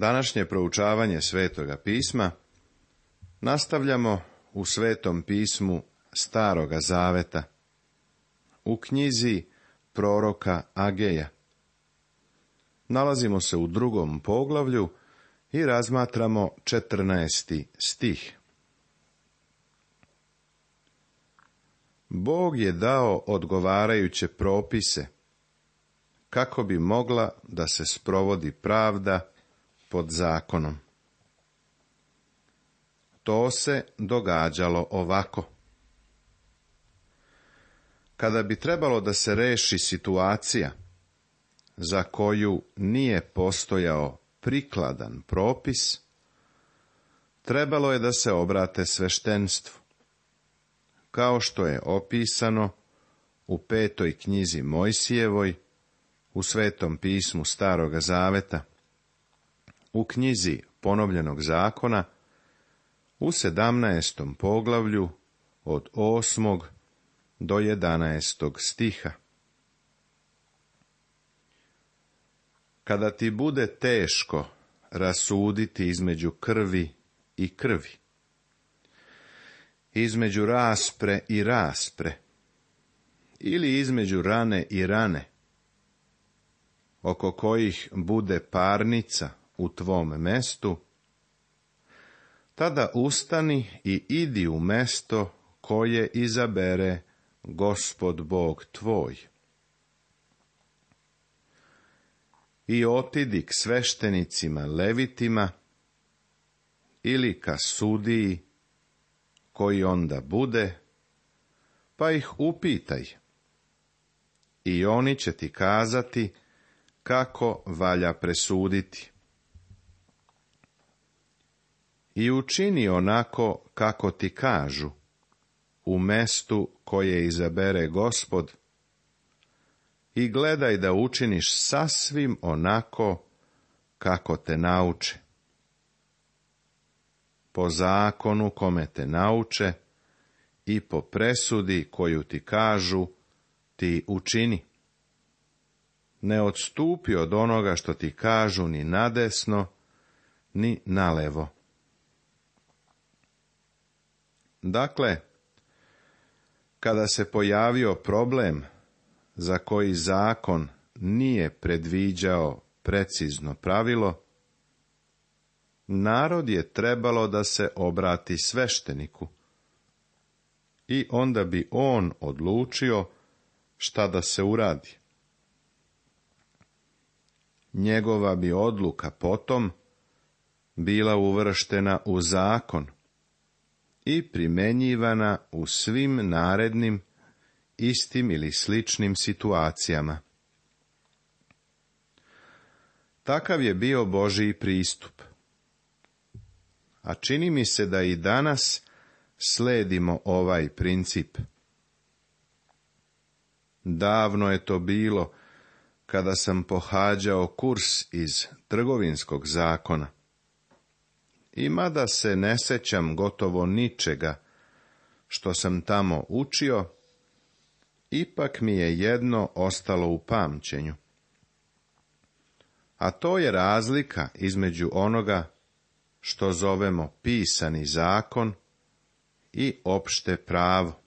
Današnje proučavanje Svetoga pisma nastavljamo u Svetom pismu Staroga zaveta, u knjizi proroka Ageja. Nalazimo se u 2. poglavlju i razmatramo 14. stih. Bog je dao odgovarajuće propise, kako bi mogla da se sprovodi pravda pod zakonom. To se događalo ovako. Kada bi trebalo da se reši situacija za koju nije postojao prikladan propis, trebalo je da se obrate sveštenstvu, kao što je opisano u 5. knjizi Mojsijevoj, u Svetom pismu Staroga zaveta, u knjizi Ponovljenog zakona, u 17. poglavlju od 8. do 11. stiha. Kada ti bude teško rasuditi između krvi i krvi, između raspre i raspre, ili između rane i rane, oko kojih bude parnica u tvom mestu, tada ustani i idi u mesto koje izabere Gospod Bog tvoj. I otidi k sveštenicima levitima ili ka sudiji koji onda bude, pa ih upitaj. I oni će ti kazati kako valja presuditi. I učini onako kako ti kažu, u mestu koje izabere Gospod, i gledaj da učiniš sasvim onako kako te nauče. Po zakonu kome te nauče i po presudi koju ti kažu, ti učini. Ne odstupi od onoga što ti kažu ni nadesno, ni nalevo. Dakle, kada se pojavio problem za koji zakon nije predviđao precizno pravilo, narod je trebalo da se obrati svešteniku i onda bi on odlučio šta da se uradi. Njegova bi odluka potom bila uvrštena u zakon i primenjivana u svim narednim, istim ili sličnim situacijama. Takav je bio Božji pristup. A čini mi se da i danas sledimo ovaj princip. Davno je to bilo kada sam pohađao kurs iz trgovinskog zakona. I mada se ne sećam gotovo ničega što sam tamo učio, ipak mi je jedno ostalo u pamćenju. A to je razlika između onoga što zovemo pisani zakon i opšte pravo.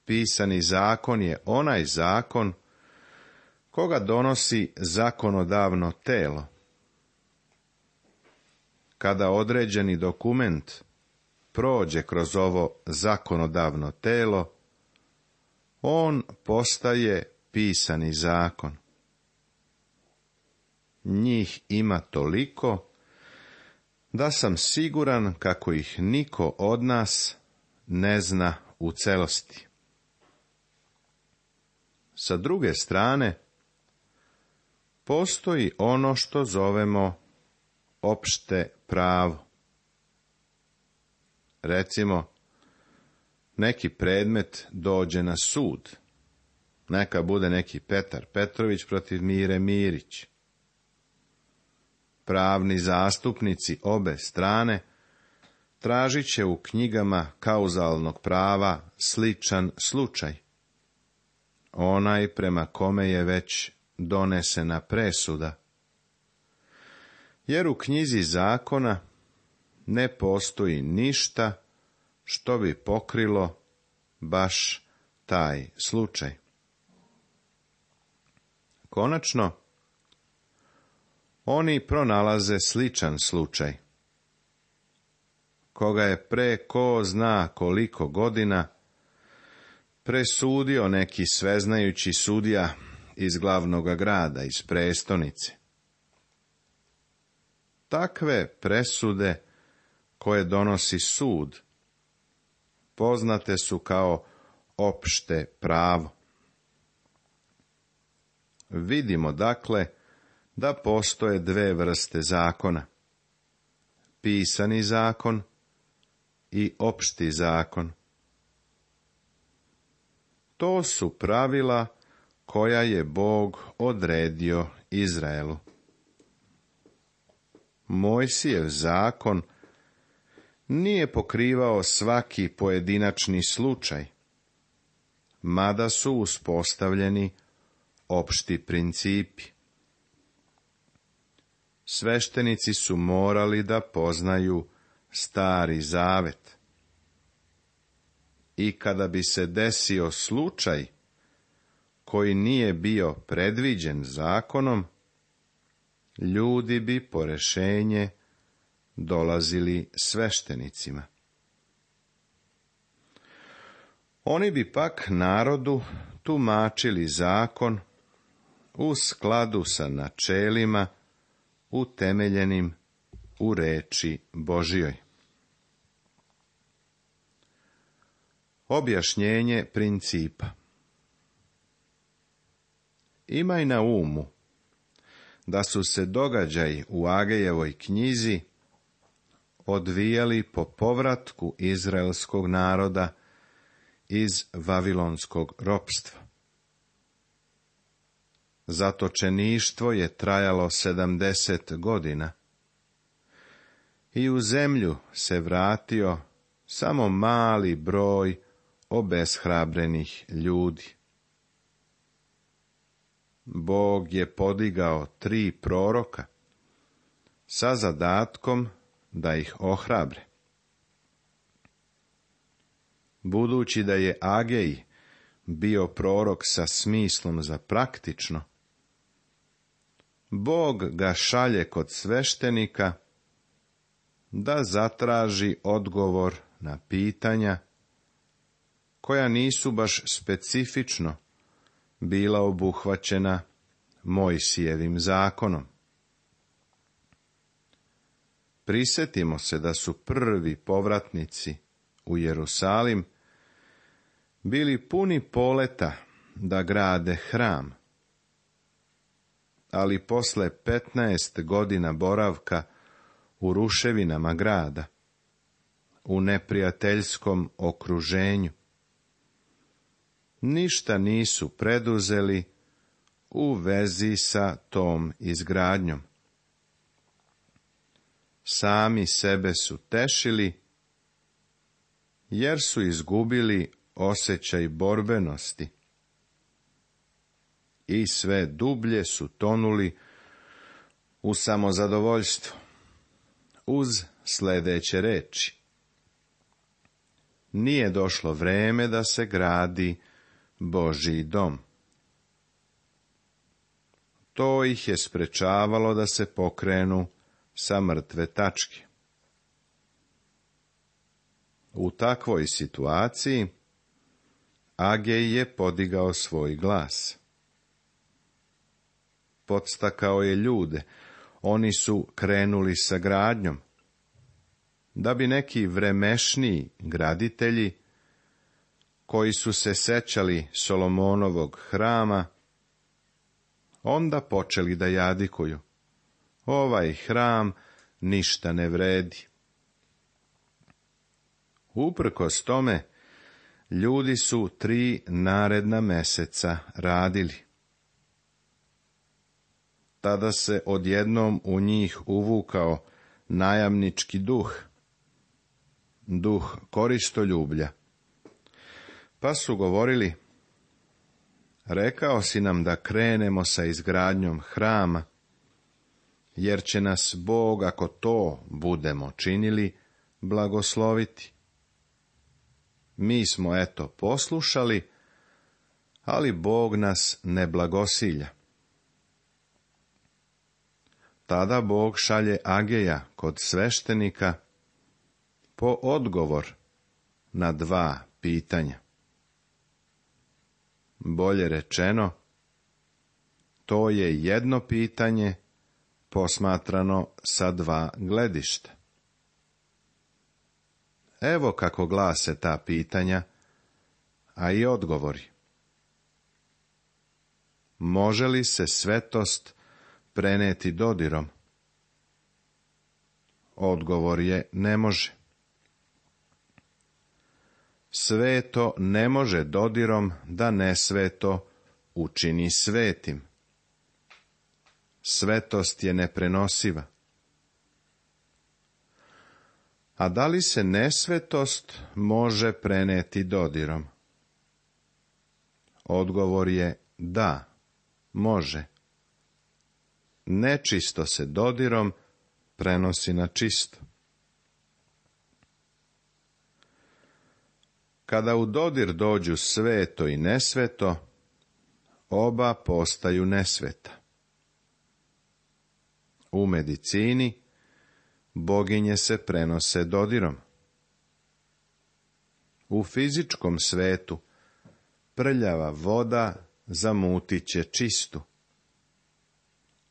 Pisani zakon je onaj zakon koga donosi zakonodavno telo. Kada određeni dokument prođe kroz ovo zakonodavno telo, on postaje pisani zakon. Njih ima toliko da sam siguran kako ih niko od nas ne zna u celosti. Sa druge strane, postoji ono što zovemo opšte pravo. Recimo, neki predmet dođe na sud. Neka bude neki Petar Petrović protiv Mire Mirić. Pravni zastupnici obe strane tražit će u knjigama kauzalnog prava sličan slučaj. Onaj prema kome je već donesena presuda. jer u knjizi zakona ne postoji ništa što bi pokrilo baš taj slučaj. Konačno, oni pronalaze sličan slučaj, koga je pre ko zna koliko godina presudio neki sveznajući sudija iz glavnog grada, iz prestonice. Takve presude koje donosi sud poznate su kao opšte pravo. Vidimo dakle da postoje dve vrste zakona: pisani zakon i opšti zakon. To su pravila koja je Bog odredio Izraelu. Mojsijev zakon nije pokrivao svaki pojedinačni slučaj, mada su uspostavljeni opšti principi. Sveštenici su morali da poznaju Stari zavet. I kada bi se desio slučaj koji nije bio predviđen zakonom, ljudi bi po rešenje dolazili sveštenicima. Oni bi pak narodu tumačili zakon u skladu sa načelima utemeljenim u reči Božjoj. Objašnjenje principa. Imaj na umu da su se događaji u Agejevoj knjizi odvijali po povratku izraelskog naroda iz vavilonskog ropstva. Zatočeništvo je trajalo 70 godina i u zemlju se vratio samo mali broj obeshrabrenih ljudi. Bog je podigao 3 proroka sa zadatkom da ih ohrabre. Budući da je Agej bio prorok sa smislom za praktično, Bog ga šalje kod sveštenika da zatraži odgovor na pitanja koja nisu baš specifično bila obuhvaćena Mojsijevim zakonom. Prisetimo se da su prvi povratnici u Jerusalim bili puni poleta da grade hram, ali posle 15 godina boravka u ruševinama grada, u neprijateljskom okruženju, ništa nisu preduzeli u vezi sa tom izgradnjom. Sami sebe su tešili, jer su izgubili osjećaj borbenosti i sve dublje su tonuli u samozadovoljstvo, uz sljedeće reči: nije došlo vreme da se gradi Božji dom. To ih je sprečavalo da se pokrenu sa mrtve tačke. U takvoj situaciji Agej je podigao svoj glas. Podstakao je ljude, oni su krenuli sa gradnjom, da bi neki vremešniji graditelji, koji su se sećali Solomonovog hrama, onda počeli da jadikuju: ovaj hram ništa ne vredi. Uprkos tome, ljudi su 3 naredna meseca radili. Tada se odjednom u njih uvukao najamnički duh, duh koristoljublja. Pa su govorili: rekao si nam da krenemo sa izgradnjom hrama jer će nas Bog, ako to budemo činili, blagosloviti. Mi smo, eto, poslušali, ali Bog nas ne blagosilja. Tada Bog šalje Ageja kod sveštenika po odgovor na 2 pitanja. Bolje rečeno, to je jedno pitanje posmatrano sa 2 gledišta. Evo kako glase ta pitanja, a i odgovori. Može li se svetost preneti dodirom? Odgovor je ne može. Sveto ne može dodirom da nesveto učini svetim. Svetost je neprenosiva. A da li se nesvetost može preneti dodirom? Odgovor je da, može. Nečisto se dodirom prenosi na čisto. Kada u dodir dođu sveto i nesveto, oba postaju nesveta. U medicini boginje se prenose dodirom. U fizičkom svetu prljava voda zamutit će čistu.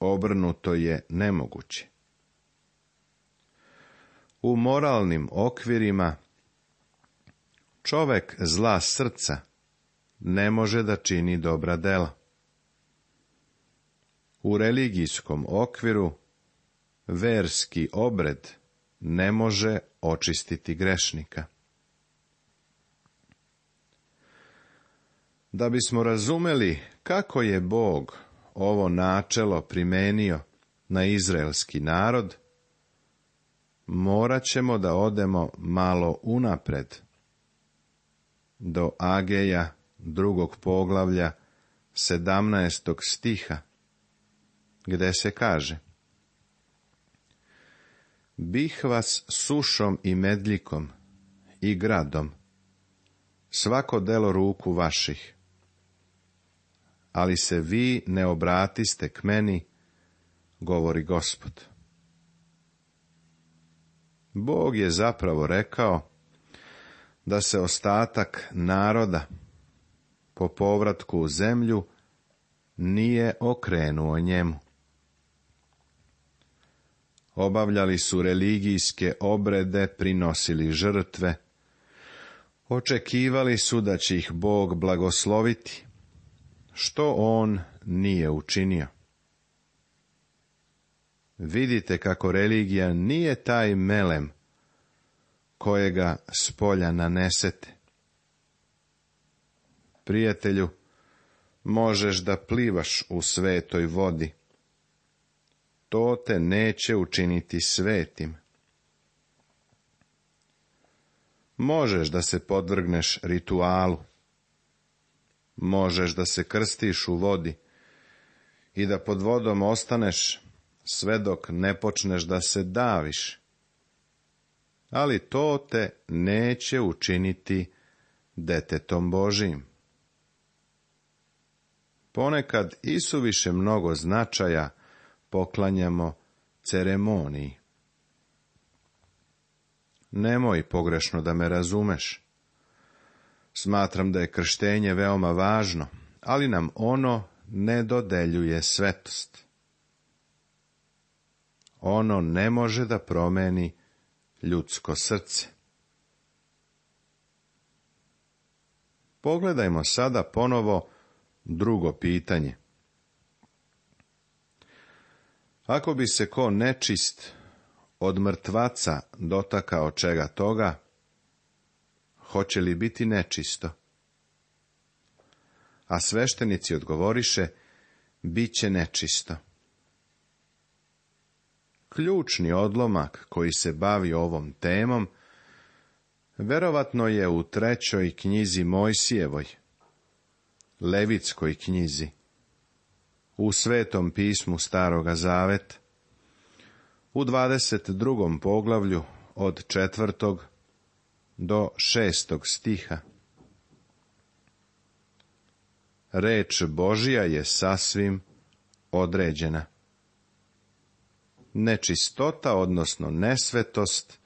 Obrnuto je nemoguće. U moralnim okvirima čovek zla srca ne može da čini dobra dela. U religijskom okviru verski obred ne može očistiti grešnika. Da bismo razumeli kako je Bog ovo načelo primenio na izraelski narod, morat ćemo da odemo malo unapred, do Ageja 2. poglavlja 17. stiha, gde se kaže: Bih vas sušom i medljikom i gradom, svako delo ruku vaših, ali se vi ne obratiste k meni, govori Gospod. Bog je zapravo rekao da se ostatak naroda po povratku u zemlju nije okrenuo njemu. Obavljali su religijske obrede, prinosili žrtve, očekivali su da će ih Bog blagosloviti, što on nije učinio. Vidite kako religija nije taj melem kojega s polja nanesete. Prijatelju, možeš da plivaš u svetoj vodi. To te neće učiniti svetim. Možeš da se podvrgneš ritualu. Možeš da se krstiš u vodi i da pod vodom ostaneš sve dok ne počneš da se daviš. Ali to te neće učiniti detetom Božijim. Ponekad isuviše mnogo značaja poklanjamo ceremoniji. Nemoj pogrešno da me razumeš. Smatram da je krštenje veoma važno, ali nam ono ne dodeljuje svetost. Ono ne može da promeni ljudsko srce. Pogledajmo sada ponovo drugo pitanje. Ako bi se ko nečist od mrtvaca dotakao čega toga, hoće li biti nečisto? A sveštenici odgovoriše, bit će nečisto. Ključni odlomak koji se bavi ovom temom verovatno je u 3. knjizi Mojsijevoj, Levitskoj knjizi, u Svetom pismu Staroga Zaveta. u 22. poglavlju od 4. do 6. stiha. Reč Božja je sasvim određena. Nečistota, odnosno nesvetost,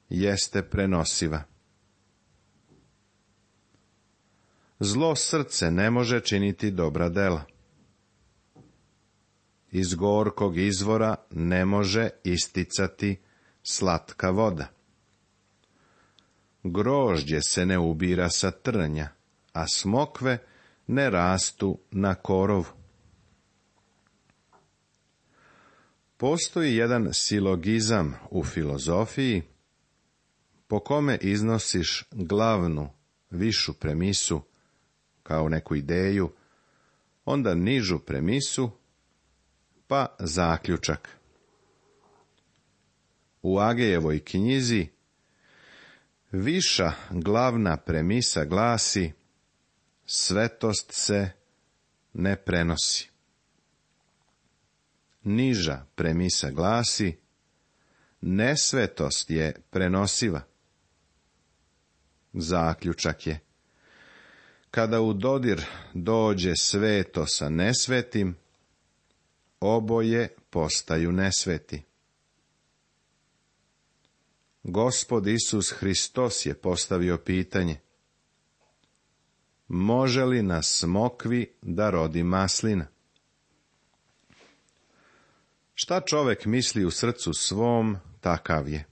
jeste prenosiva. Zlo srce ne može činiti dobra dela. Iz gorkog izvora ne može isticati slatka voda. Grožđe se ne ubira sa trnja, a smokve ne rastu na korovu. Postoji jedan silogizam u filozofiji po kome iznosiš glavnu, višu premisu kao neku ideju, onda nižu premisu, pa zaključak. U Agejevoj knjizi viša glavna premisa glasi: svetost se ne prenosi. Niža premisa glasi: nesvetost je prenosiva. Zaključak je: kada u dodir dođe sveto sa nesvetim, oboje postaju nesveti. Gospod Isus Hristos je postavio pitanje: može li na smokvi da rodi maslina? Šta čovek misli u srcu svom, takav je.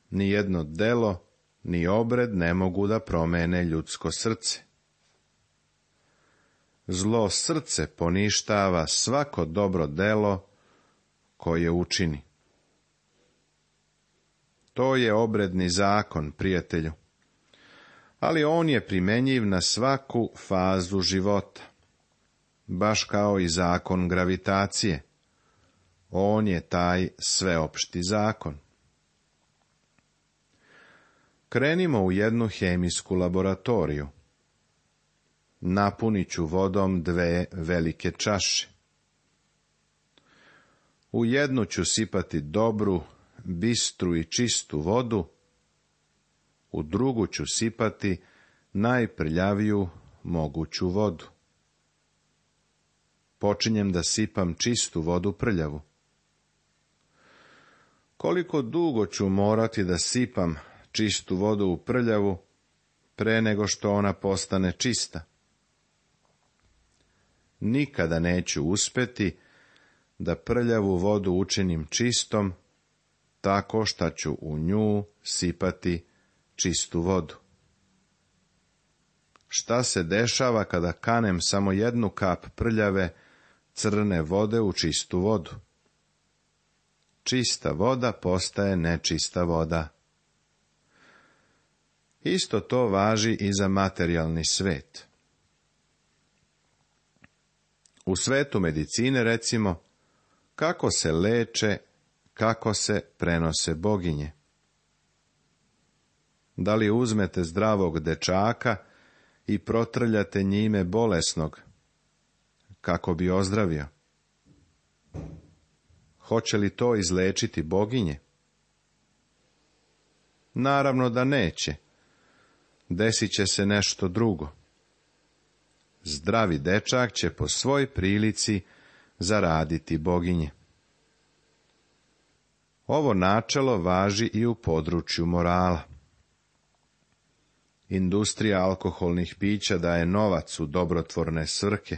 Ni jedno delo, ni obred ne mogu da promene ljudsko srce. Zlo srce poništava svako dobro delo koje učini. To je obredni zakon, prijatelju, ali on je primenjiv na svaku fazu života, baš kao i zakon gravitacije. On je taj sveopšti zakon. Krenimo u jednu hemijsku laboratoriju. Napunit ću vodom 2 velike čaše. U jednu ću sipati dobru, bistru i čistu vodu, u drugu ću sipati najprljaviju moguću vodu. Počinjem da sipam čistu vodu prljavu. Koliko dugo ću morati da sipam čistu vodu u prljavu pre nego što ona postane čista? Nikada neću uspeti da prljavu vodu učinim čistom tako što ću u nju sipati čistu vodu. Šta se dešava kada kanem samo jednu kap prljave, crne vode u čistu vodu? Čista voda postaje nečista voda. Isto to važi i za materijalni svet. U svetu medicine, recimo, kako se leče, kako se prenose boginje. Da li uzmete zdravog dečaka i protrljate njime bolesnog, kako bi ozdravio? Hoće li to izlečiti boginje? Naravno da neće. Desit će se nešto drugo. Zdravi dečak će po svoj prilici zaraditi boginje. Ovo načelo važi i u području morala. Industrija alkoholnih pića daje novac u dobrotvorne svrhe,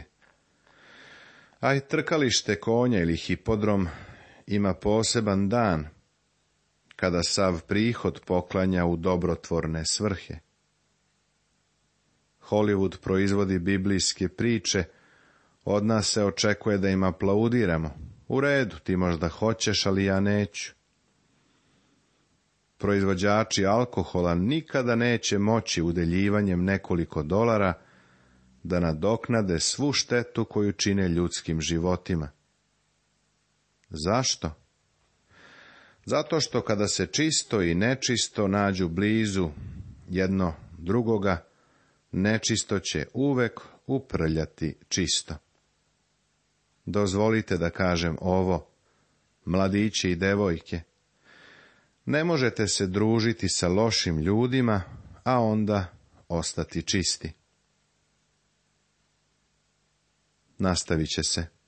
a i trkalište konja ili hipodrom ima poseban dan, kada sav prihod poklanja u dobrotvorne svrhe. Hollywood proizvodi biblijske priče, od nas se očekuje da im aplaudiramo. U redu, ti možda hoćeš, ali ja neću. Proizvođači alkohola nikada neće moći udeljivanjem nekoliko dolara da nadoknade svu štetu koju čine ljudskim životima. Zašto? Zato što kada se čisto i nečisto nađu blizu jedno drugoga, nečisto će uvek uprljati čisto. Dozvolite da kažem ovo, mladići i devojke. Ne možete se družiti sa lošim ljudima, a onda ostati čisti. Nastavit će se.